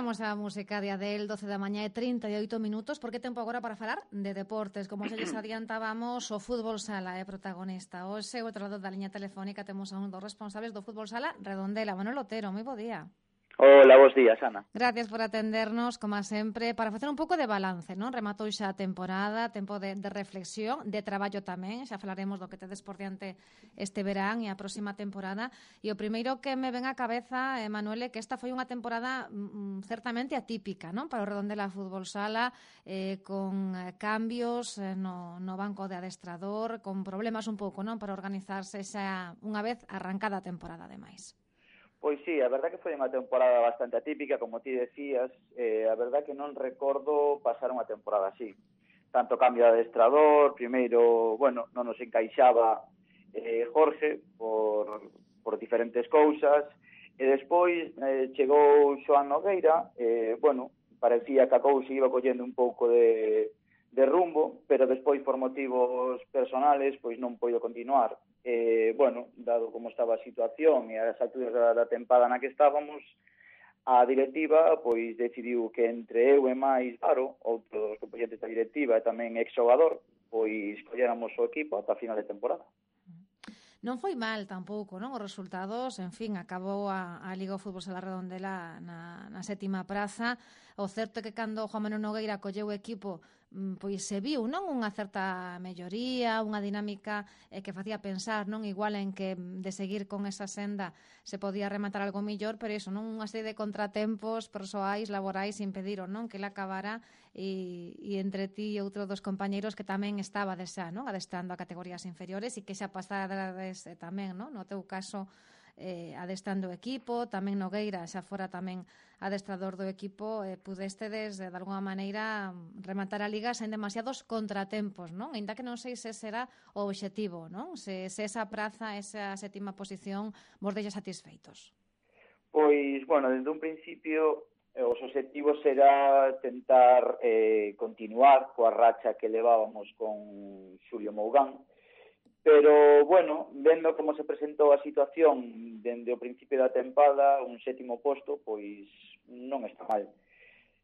Paramos a música de Adele, 12 da mañá e 38 minutos, porque tempo agora para falar de deportes. Como xa lles adiantábamos, o fútbol sala é protagonista. Hoxe, o outro lado da liña telefónica, temos a un dos responsables do fútbol sala, Redondela, Manuel Otero. Moi bo día. Hola, bos días, Ana. Gracias por atendernos, como sempre, para facer un pouco de balance, non? Rematou xa a temporada, tempo de reflexión, de traballo tamén, xa falaremos do que tedes por diante este verán e a próxima temporada. E o primeiro que me ven á cabeza, Manuel, é que esta foi unha temporada certamente atípica, non? Para o Redondela Fútbol Sala, con cambios no banco de adestrador, con problemas un pouco, non? Para organizarse xa unha vez arrancada a temporada, ademais. Pois sí, a verdad que foi unha temporada bastante atípica, como ti decías, a verdad que non recordo pasar unha temporada así. Tanto cambio de adestrador, primeiro, bueno, non nos encaixaba Jorge por diferentes cousas, e despois chegou Xoán Nogueira, bueno, parecía que a cousa iba collendo un pouco de rumbo, pero despois por motivos personales pois non poido continuar. Bueno, dado como estaba a situación e as alturas da tempada na que estábamos, a directiva pois decidiu que entre eu e máis Aro, outro dos componentes da directiva e tamén exxogador, pois colléramos o equipo ata a final de temporada. Non foi mal tampouco, non? Os resultados, en fin, acabou a Liga o Fútbol Sala Redondela na sétima praza. O certo é que cando Juan Manuel Nogueira colleu o equipo, pois se viu, non, unha certa melloría, unha dinámica que facía pensar, non, igual en que de seguir con esa senda se podía rematar algo millor, pero iso, non, unha serie de contratempos persoais, laborais impediron, non, que ele acabara e entre ti e outro dos compañeiros que tamén estaba xa, non, adestrando a categorías inferiores e que xa pasarades tamén, non, no teu caso adestrando o equipo, tamén Nogueira xa fora tamén adestrador do equipo, pudestedes de alguma maneira rematar a Liga sen demasiados contratempos, non? Ainda que non sei se será o obxectivo, non? Se esa praza, esa sétima posición vos deixa satisfeitos. Pois, bueno, desde un principio os obxectivos será tentar continuar coa racha que levábamos con Xulio Mougán, pero, bueno, vendo como se presentou a situación dende o principio da tempada, un sétimo posto, pois non está mal.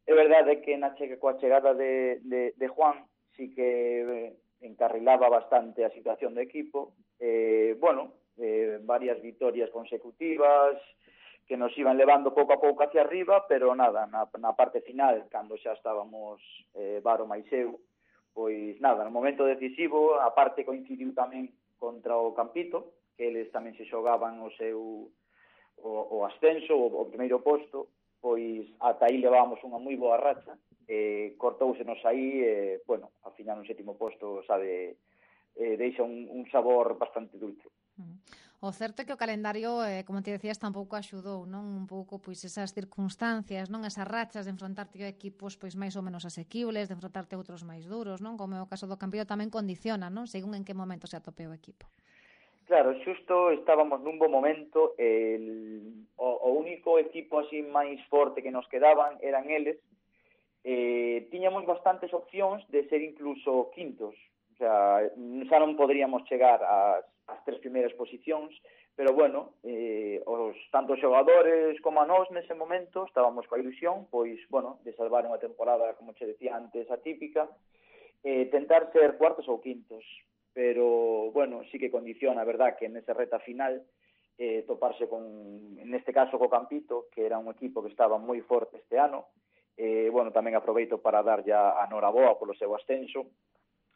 É verdade que coa chegada de Juan sí que encarrilaba bastante a situación do equipo. Bueno, varias vitorias consecutivas que nos iban levando pouco a pouco hacia arriba, pero nada, na parte final, cando xa estábamos Varo máis eu, pois nada, no momento decisivo, a parte coincidiu tamén contra o Campito, que eles tamén se xogaban o ascenso, o primeiro posto, pois ata aí levábamos unha moi boa racha, cortóusenos aí, bueno, ao final un sétimo posto, sabe, deixa un sabor bastante dulce. O certo é que o calendario, como te decías, tampouco axudou, non? Un pouco, pois, esas circunstancias, non? Esas rachas de enfrontarte a equipos, pois, máis ou menos asequibles, de enfrontarte a outros máis duros, non? Como é o caso do Campito tamén condiciona, non? Según en que momento se atope o equipo. Claro, xusto estábamos nun bo momento, o único equipo así máis forte que nos quedaban eran eles, tiñamos bastantes opcións de ser incluso quintos, o sea, xa non poderíamos chegar ás tres primeiras posicións, pero bueno, tanto os xogadores como a nós nese momento estábamos coa ilusión, pois, bueno, de salvar unha temporada, como che decía antes, atípica, tentar ser cuartos ou quintos, pero, bueno, sí que condiciona, a verdad, que nesa reta final toparse neste caso co Campito, que era un equipo que estaba moi forte este ano. Bueno, tamén aproveito para dar ya a noraboa polo seu ascenso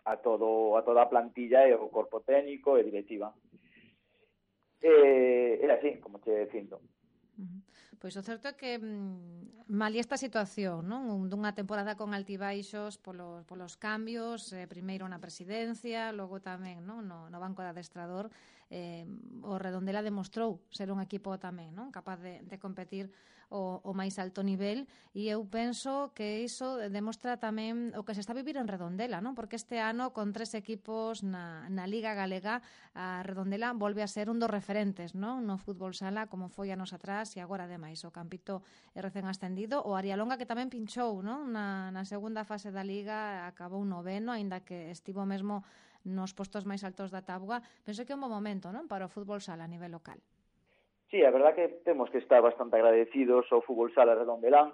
a toda a plantilla e o corpo técnico e directiva. Era así, como te dicindo. Pois o certo é que malia esta situación, non? Dunha temporada con altibaixos polos cambios, primeiro na presidencia, logo tamén, non? No banco de adestrador, o Redondela demostrou ser un equipo tamén, non? Capaz de competir o máis alto nivel, e eu penso que iso demostra tamén o que se está a vivir en Redondela, non? Porque este ano, con 3 equipos na Liga Galega, a Redondela volve a ser un dos referentes, non? No fútbol sala, como foi anos atrás, e agora ademais o Campito é recén ascendido, o Arialonga que tamén pinchou, non? Na segunda fase da Liga acabou noveno, aínda que estivo mesmo nos postos máis altos da táboa. Penso que é un bo momento, non? Para o fútbol sala a nivel local. Sí, a verdad que temos que estar bastante agradecidos ao fútbol sala redondelán,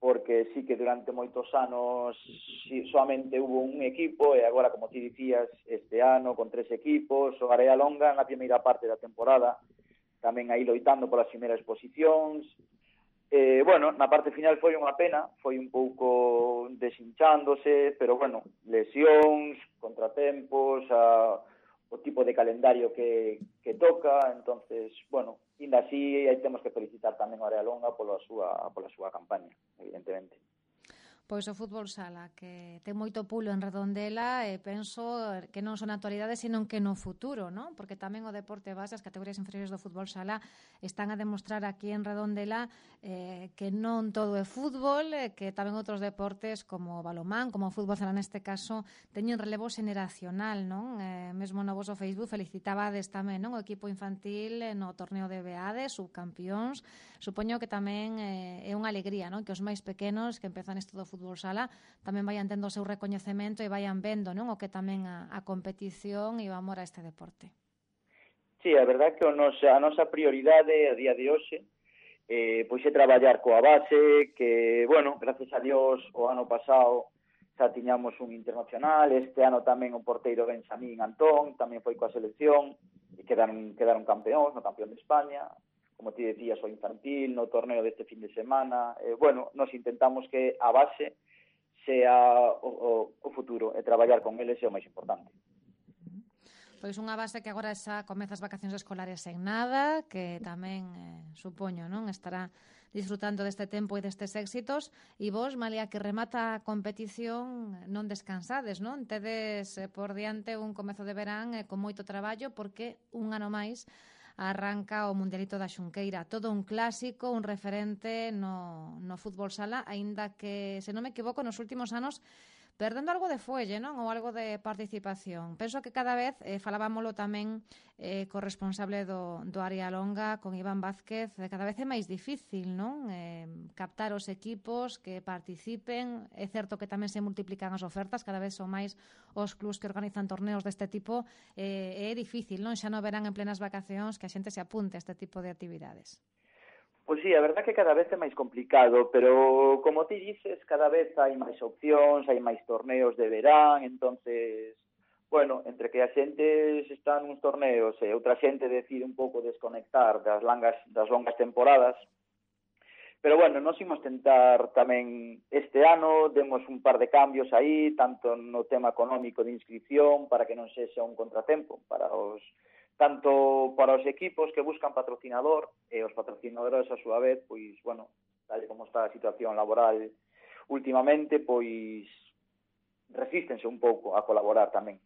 porque sí que durante moitos anos solamente hubo un equipo, e agora, como ti dicías, este ano con 3 equipos, o Area Longa na primeira parte da temporada, tamén aí loitando polas primeiras posicións. Bueno, na parte final foi unha pena, foi un pouco deshinchándose, pero bueno, lesións, contratempos, o tipo de calendario que toca, entonces, bueno, ainda así aí temos que felicitar tamén a Area Longa pola súa campaña, evidentemente. Pois o fútbol sala, que ten moito pulo en Redondela, e penso que non son na actualidade, senón que no futuro, non? Porque tamén o deporte base, as categorías inferiores do fútbol sala, están a demostrar aquí en Redondela que non todo é fútbol, que tamén outros deportes como o balomán, como o fútbol sala neste caso, teñen relevo xeneracional, non? Mesmo no voso Facebook felicitabades tamén, non? O equipo infantil no torneo de Beade, subcampións. Supoño que tamén é unha alegría, non? Que os máis pequenos que empezan isto do fútbol sala tamén vayan tendo o seu recoñecemento e vayan vendo, non? O que tamén a competición e o amor a este deporte. Sí, a verdade é que a nosa prioridade a día de hoxe pois é traballar coa base, que, bueno, gracias a Dios, o ano pasado xa tiñamos un internacional, este ano tamén o porteiro Benjamín Antón, tamén foi coa selección, e quedaron campeóns, no campeón de España, como ti decías, o infantil, no torneo deste fin de semana. Bueno, nos intentamos que a base sea o futuro, e traballar con eles é o máis importante. Pois unha base que agora xa comeza as vacacións escolares en nada, que tamén, supoño, non estará disfrutando deste tempo e destes éxitos, e vos, malia que remata a competición, non descansades, non? Tedes por diante un comezo de verán con moito traballo, porque un ano máis arranca o Mundialito da Xunqueira. Todo un clásico, un referente no fútbol sala, aínda que, se non me equivoco, nos últimos anos perdendo algo de fuelle, non? Ou algo de participación. Penso que cada vez, falábamolo tamén co responsable do Área Longa, con Iván Vázquez, cada vez é máis difícil, non? Captar os equipos que participen. É certo que tamén se multiplican as ofertas, cada vez son máis os clubs que organizan torneos deste tipo. É difícil, non? Xa non verán en plenas vacacións que a xente se apunte a este tipo de actividades. Pois sí, a verdad que cada vez é máis complicado, pero como ti dices, cada vez hai máis opcións, hai máis torneos de verán, entonces, bueno, entre que a xente está nuns torneos e outra xente decide un pouco desconectar das longas temporadas, pero bueno, nós imos tentar tamén este ano, demos un par de cambios aí, tanto no tema económico de inscripción, para que non sexa un contratempo tanto para os equipos que buscan patrocinador e os patrocinadores a súa vez, pois, bueno, tal como está a situación laboral últimamente, pois resístense un pouco a colaborar tamén.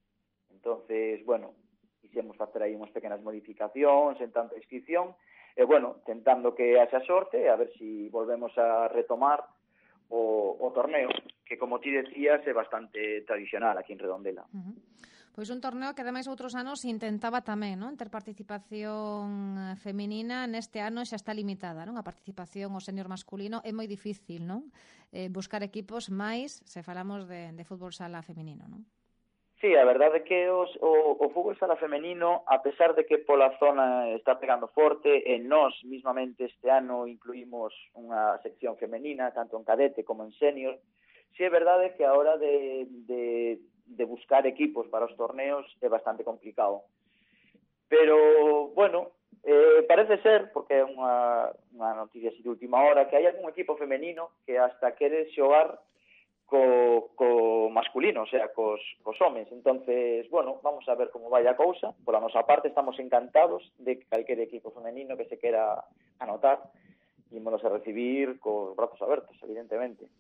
Entonces, bueno, quixemos facer aí unhas pequenas modificacións en tanto a inscripción, e, bueno, tentando que haxa sorte, a ver si volvemos a retomar o torneo, que, como ti decías, é bastante tradicional aquí en Redondela. Pois un torneo que, ademais, outros anos intentaba tamén, non? Ter participación feminina. Neste ano xa está limitada, non? A participación ao senior masculino é moi difícil, non? Buscar equipos máis se falamos de fútbol sala feminino, non? Sí, a verdade é que o fútbol sala femenino, a pesar de que pola zona está pegando forte, e nós mismamente este ano incluímos unha sección femenina, tanto en cadete como en senior, sí é verdade que a hora de buscar equipos para os torneos é bastante complicado. Pero, bueno, parece ser, porque é unha noticia así de última hora, que hai algún equipo femenino que hasta quere xogar co masculino, o sea, cos homes. Entonces, bueno, vamos a ver como vai a cousa. Pola nosa parte estamos encantados de que calquer equipo femenino que se quera anotar, ímonos a recibir cos brazos abertos, evidentemente.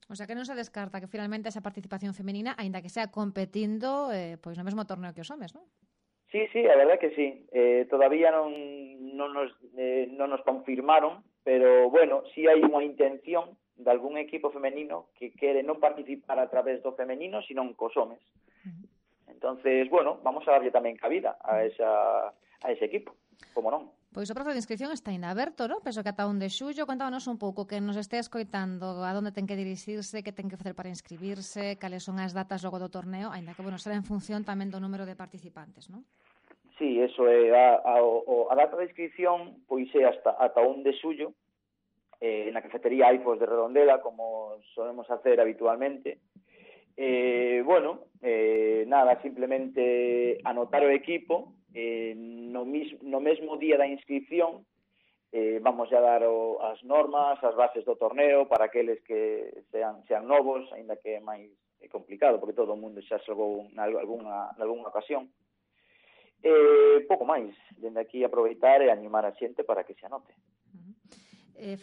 O sea, que non se descarta que finalmente esa participación femenina, aínda que sea competindo, pois no mesmo torneo que os homes, non? Sí, a verdade que sí. Todavía non nos confirmaron, pero, bueno, sí hai unha intención de algún equipo femenino que quere non participar a través do femenino, sino cos homes. Entonces, bueno, vamos a darlle tamén cabida a ese equipo, como non. Pois o prazo de inscripción está ainda aberto, non? Penso que ata 1 de xullo. Contábanos un pouco que nos este escoitando a onde ten que dirixirse, que ten que facer para inscribirse, cales son as datas logo do torneo, aínda que, bueno, será en función tamén do número de participantes, non? Sí, eso é a data de inscripción, pois é ata 1 de xullo, na cafetería Aifos de Redondela, como solemos hacer habitualmente. Nada, simplemente anotar o equipo, no mesmo día da inscripción, vamos a dar as normas, as bases do torneo para aqueles que sean novos, aínda que é máis complicado, porque todo o mundo xa xogou nalgúnha ocasión. Pouco máis, dende aquí aproveitar e animar a xente para que se anote.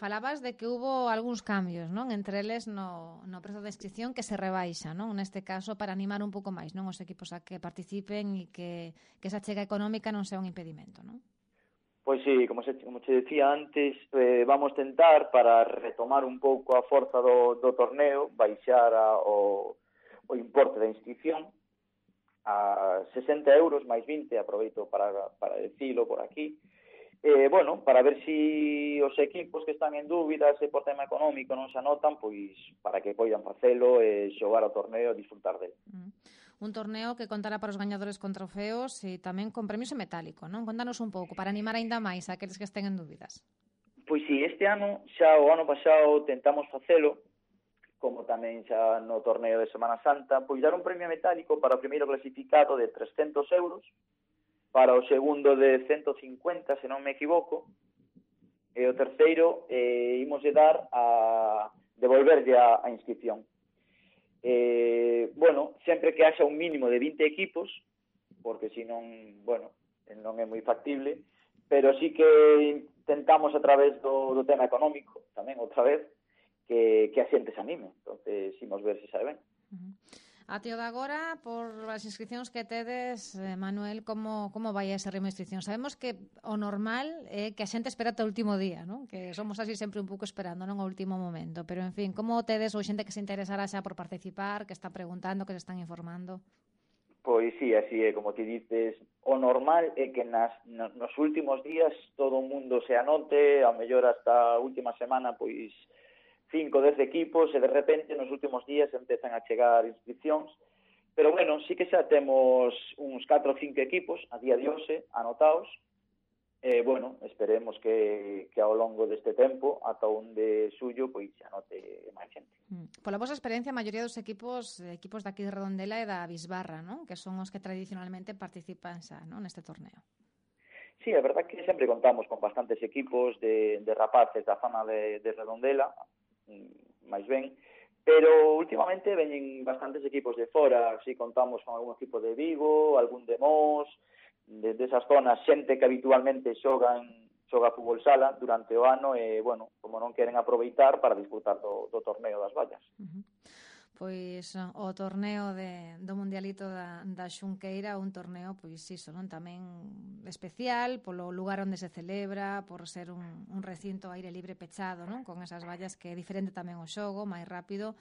Falabas de que hubo algúns cambios, non? Entre eles no prezo de inscripción que se rebaixa, non? Neste caso, para animar un pouco máis, non? Os equipos a que participen e que esa chega económica non sea un impedimento, non? Pois sí, como che decía antes, vamos tentar, para retomar un pouco a forza do torneo, baixar o importe da inscripción a 60 euros máis 20, aproveito para decilo por aquí. Para ver si os equipos que están en dúbida, se por tema económico non se anotan, pois para que poidan facelo e xogar ao torneo e disfrutar dele. Un torneo que contará para os gañadores con trofeos e tamén con premios en metálico, non? Contanos un pouco, para animar aínda máis a aqueles que estén en dúbidas. Pois sí, este ano, o ano pasado tentamos facelo, como tamén xa no torneo de Semana Santa, pois dar un premio metálico para o primeiro clasificado de 300 euros, para o segundo de 150, se non me equivoco, e o terceiro imos de dar a devolverlle a inscripción. Sempre que haxa un mínimo de 20 equipos, porque senón, non é moi factible, pero sí que intentamos a través do tema económico, tamén outra vez, que a xente se anime. Entonces, imos ver se sabe ben. Até o de agora, por as inscripcións que tedes, Manuel, como vai ese ritmo de inscripción? Sabemos que o normal é que a xente espera ata o último día, non? Que somos así sempre un pouco esperando, non, ao último momento. Pero, en fin, como tedes ou xente que se interesará xa por participar, que está preguntando, que se están informando? Pois sí, así é, como ti dices, o normal é que nos últimos días todo o mundo se anote, ao mellor hasta a última semana, pois 5 ou 10 equipos, e de repente nos últimos días empezan a chegar inscripcións, pero sí que xa temos uns 4 ou 5 equipos a día de hoxe anotados, esperemos que ao longo deste tempo, ata onde suyo, pois se anote máis xente. Pola vosa experiencia, a maioría dos equipos daqui de Redondela e da Bisbarra, non? Que son os que tradicionalmente participan xa, non, neste torneo. Sí, é verdad que sempre contamos con bastantes equipos de rapaces da zona de Redondela, máis ben, pero últimamente veñen bastantes equipos de fora, así contamos con algún equipo de Vigo, algún de Mos, desas zonas, xente que habitualmente xoga fútbol sala durante o ano e, como non queren aproveitar para disfrutar do torneo das vallas. Pois o torneo do Mundialito da Xunqueira, un torneo, pois iso, non, tamén especial polo lugar onde se celebra, por ser un recinto aire libre pechado, non, con esas vallas, que é diferente tamén o xogo, máis rápido.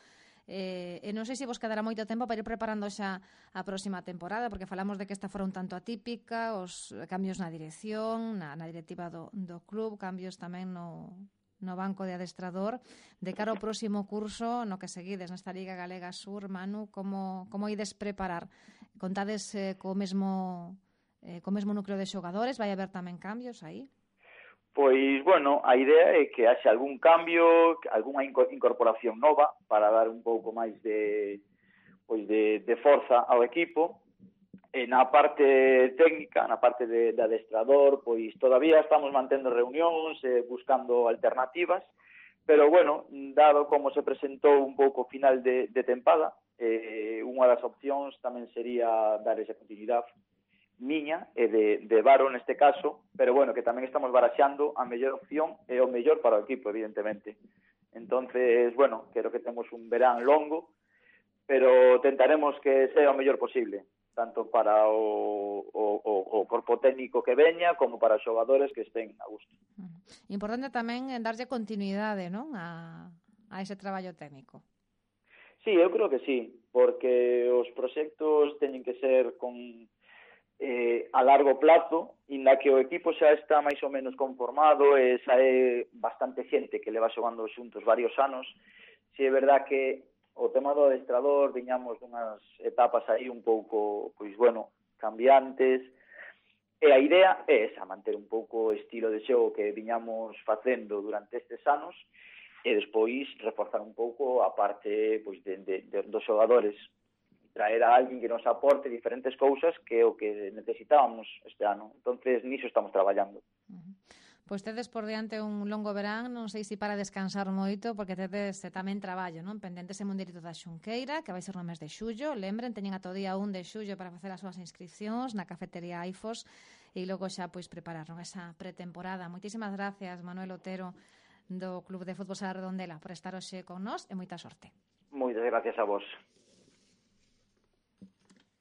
E non sei se vos quedará moito tempo para ir preparando xa a próxima temporada, porque falamos de que esta fora un tanto atípica, os cambios na dirección, na directiva do club, cambios tamén no banco de adestrador. De cara ao próximo curso, no que seguides nesta Liga Galega Sur, Manu, como ides preparar? Contades co mesmo núcleo de xogadores? Vai haber tamén cambios aí? Pois, a idea é que haxe algún cambio, algunha incorporación nova para dar un pouco máis de forza ao equipo. Na parte técnica, na parte de adestrador, pois todavía estamos mantendo reunións, buscando alternativas, pero, dado como se presentou un pouco final de tempada, unha das opcións tamén sería dar esa continuidade miña e de Varo neste caso, pero que tamén estamos baraxando a mellor opción e o mellor para o equipo, evidentemente. Entonces, creo que temos un verán longo, pero tentaremos que sea o mellor posible, tanto para o corpo técnico que veña como para os xogadores que estén a gusto. Importante tamén darlle continuidade, non, a ese traballo técnico. Sí, eu creo que sí, porque os proxectos teñen que ser a largo plazo, inda que o equipo xa está máis ou menos conformado e xa é bastante xente que leva xogando xuntos varios anos. Si é verdad que o tema do adestrador viñamos dunhas etapas aí un pouco, cambiantes, E a idea é esa, manter un pouco o estilo de xogo que viñamos facendo durante estes anos e despois reforzar un pouco a parte pois, dos xogadores, traer a alguén que nos aporte diferentes cousas que é o que necesitábamos este ano. Entonces, niso estamos traballando. Pois tedes por diante un longo verán, non sei se para descansar moito, porque tedes tamén traballo, non? Pendentes en Mundirito da Xunqueira, que vai ser no mes de xullo. Lembren, teñen ata o día 1 de xullo para facer as súas inscripcións na cafetería Aifos e logo xa pois prepararon esa pretemporada. Moitísimas gracias, Manuel Otero, do Club de Fútbol Sala Redondela, por estar hoxe con nós e moita sorte. Moitas gracias a vos.